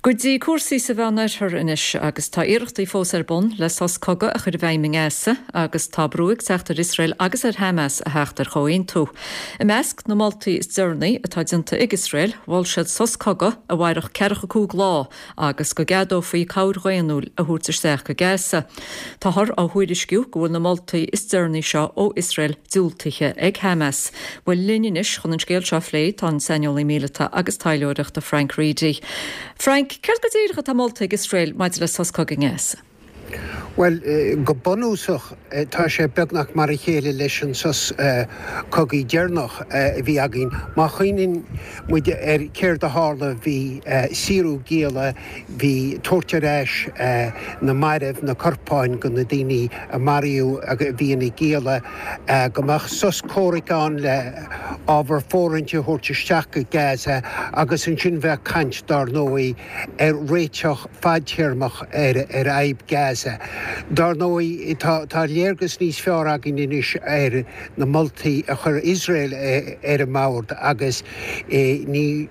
Go dtí cúrsaí sa Mheánoirthear anois agus tá iarrachtaí fós ar bun le sos cogaidh a chur i bhfeidhm i nGaza agus tá brú ag teacht ar Iosrael agus ar Hamas a theacht ar chomhaontú. I measc na moltaí is deireanaí atá déanta ag Iosrael, mhol siad sos cogaidh a mhairfeadh ceathracha cúig lá agus go gceadófaí cabhair dhaonnúil a thabhairt isteach go Gaza. Táthar á thuairisciú go bhfuil na moltaí is deireanaí seo ó Iosrael diúltaithe ag Hamas. Bhuel, linn anois chun an scéal seo a phlé tá an saineolaí míleata agus taidhleoireachta Frank Reidy. Frank, céard go díreach atá molta ag Iosrael maidir le sos cogaidh i nGaza? Bhuel, go bunúsach tá sé beagnach mar a chéile leis an sos cogaidh deireanach a bhí againn. Má chuimhníonn muid ar céard a tharla, bhí saorú gialla, Bhí tabhairt ar ais na mairbh, na corpáin de na daoine a maraíodh a bhí ina gialla, go mbeadh sos comhraic ann le ábhar fóirithinte a thabhairt isteach go Gaza agus ansin bheadh caint dár ndóigh ar réiteach fadtéarmach ar fhadhb Gaza. Dár ndóigh tá léargas níos fearr againn anois ar na moltaí a chuir Iosrael ar an mbord agus ní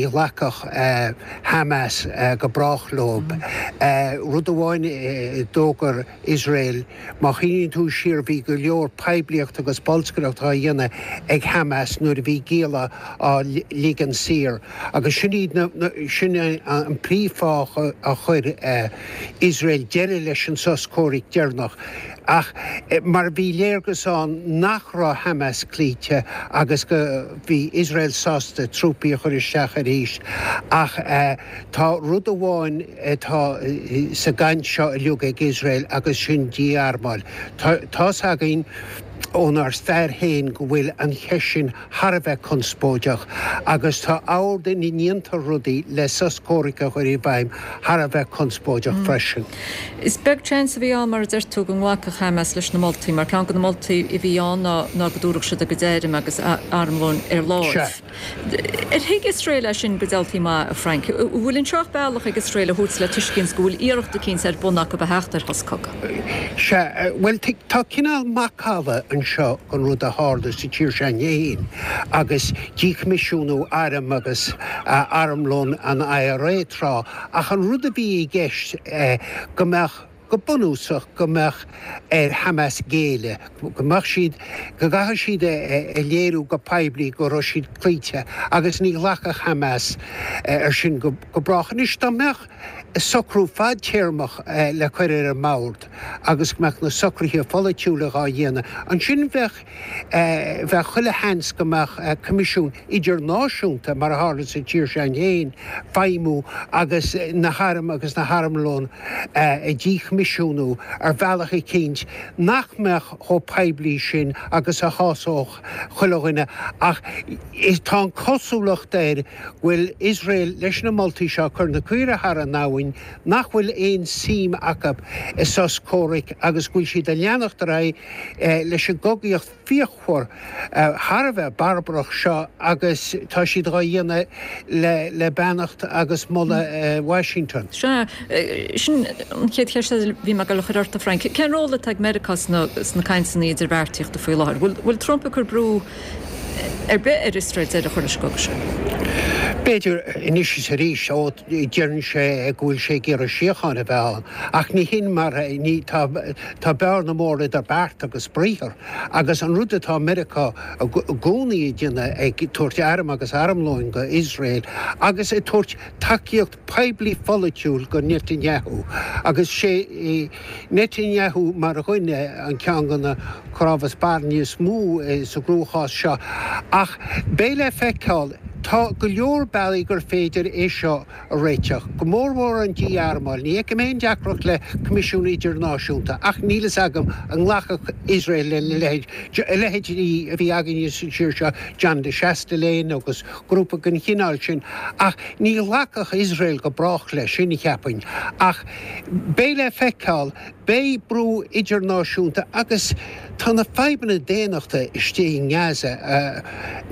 ghlacfadh Hamas go brách leo. Rud amháin a d'fhógair Iosrael, má chuimhníonn tú siar bhí go leor poiblíocht agus bolscaireacht á dhéanamh ag Hamas nuair a bhí gialla á ligean saor agus sin iad na, sin an príomhfháth a chuir Iosrael deireadh leis an sos comhraic deireanach. Ach mar bhí léargas ann nach raibh Hamas cloíte agus go bhí Iosrael sásta trúpaí a chur isteach arís. Ach tá rud amháin atá sa gcaint seo uilig ag Iosrael agus sin dí-armáil. Tá's againn ónár stair féin go bhfuil an cheist sin thar a bheith conspóideach agus tá ord ina ndéantar rudaí le sos comhraic a chur i bhfeidhm thar a bheith conspóideach freisin. Is beag seans a bhí ann, mar a deir tú, go nglacfadh Hamas leis na moltaí, mar ceann de na moltaí a bhí ann ná ná go dtabharfadh siad a gcuid airm agus armlóin ar láimh. Ar thuig Iosrael é sin go diabhaltaí maith, a Frank? An bhfuil anseo ach bealach ag Iosrael a thabhairt le tuiscint go bhfuil iarracht eicínt ar bun acu a theacht ar shos cogaidh? Sea, bhuel, tá cineál macalla anseo den rud a tharla sa tír seo féin agus díchoimisiúnú airm agus armlón an IRA tráth, ach an rud a bhí i gceist go mbeadh, go bunúsach, go mbeadh ar Hamas géilleadh, go mbeadh siad, go gcaithfeadh siad a léiriú go poiblí go raibh siad cloíte agus ní ghlacfadh Hamas air sin go brách. Anois, dá mbeadh socrú fadtéarmach le cur ar an mbord agus go mbeadh na socruithe pholaitiúla dhá dhéanamh, ansin bheadh, bheadh chuile sheans go mbeadh coimisiún idirnáisiúnta, mar a tharla sa tír seo féin, feidhmiú agus na hairm agus na harmlón a dhíchoimisiúnú ar bhealach eicínt nach mbeadh chomh poiblí sin agus a shásódh chuile dhuine. Ach tá an chosúlacht air go bhfuil Iosrael leis na moltaí seo ag cur na caoire thar an abhainn, nach bhfuil aon suim acu i sos comhraic agus go bhfuil siad ag leanacht ar aghaidh leis an gcogaíocht fíochmhar thar a bheith barbarach seo agus tá siad dhá dhéanamh le beannacht agus moladh Washington. Sea, sin an chéad cheist eile a bhí mé ag dul a chur ort, a Frank. Cén ról atá ag Meiriceá sna cainteanna idirbheartaíochta faoi láthair? Bhfuil Trump ag cur brú ar bith ar Iosrael deireadh a chur leis an gcogadh seo? B'fhéidir, anois is arís, ó deireann sé go bhfuil sé ag iarraidh síocháin a bheith ann, ach ní hin mar, ní, tá, tá bearna mór idir beart agus briathar, agus an rud atá Meiriceá i gcónaí ag déanamh, ag tabhairt airm agus armlóin go Iosrael agus ag tabhairt tacaíocht poiblí pholaitiúil go Netanyahu agus sé Netanyahu mar dhuine an ceann de na cnámha spairne is mó sa gcruachás seo. Ach beidh le feiceáil. Tá go leor bealaí gur féidir é seo a réiteach, go mórmhór an dí-armáil. Ní fheicim aon deacracht le Coimisiún Idirnáisiúnta ach níl fhios agam an nglacfadh Iosrael lena leithéid, a leithéidí a bhí againne sa tír seo, John de Chastelain agus grúpa den chineál sin. Ach ní ghlacfadh Iosrael go brách leis sin, cheapfainn. Ach beidh le feiceáil. Beidh brú idirnáisiúnta agus tá na fadhbanna daonnachta istigh i nGaza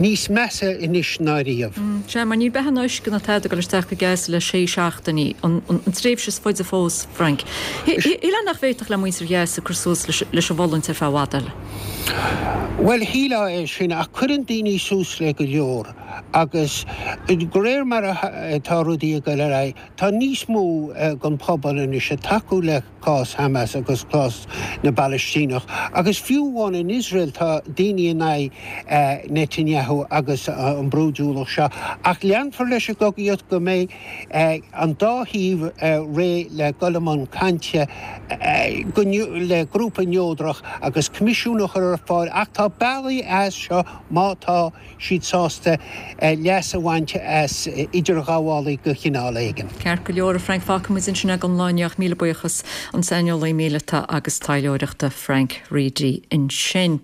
níos measa anois ná riamh. Sea, mar níl beatha ná uisce ná tada ag dul isteach go Gaza le sé seachtainí, an tréimhse is faide fós, Frank. Shílfeá nach bhféadfadh le muintir Ghaza cur suas leis an bhfulaingt ar feadh i bhfad eile. Bhuel, shílfeá é sin, ach cuireann daoine suas le go leor agus de réir mar atá rudaí ag dul ar aghaidh, Tá níos mó den phobal anois ag tacú le cás Hamas agus cás na bPalaistíneach agus fiú amháin in Iosrael tá daoine in aghaidh Netanyahu agus an brúidiúlacht seo. Ach leanfar leis an gcogaíocht go mbeidh an dá thaobh réidh le dul i mbun cainte le grúpa neodrach agus coimisiún a chur ar fáil ach tá bealaí as seo má tá siad sásta leas a bhaint as idirghabhálaí de chineál éigin. Ceart go leor, a Frank, fágfaidh muid ansin é don lá inniu ach míle buíochas, an saineolaí míleata agus taidhleoireachta Frank Reidy ansin.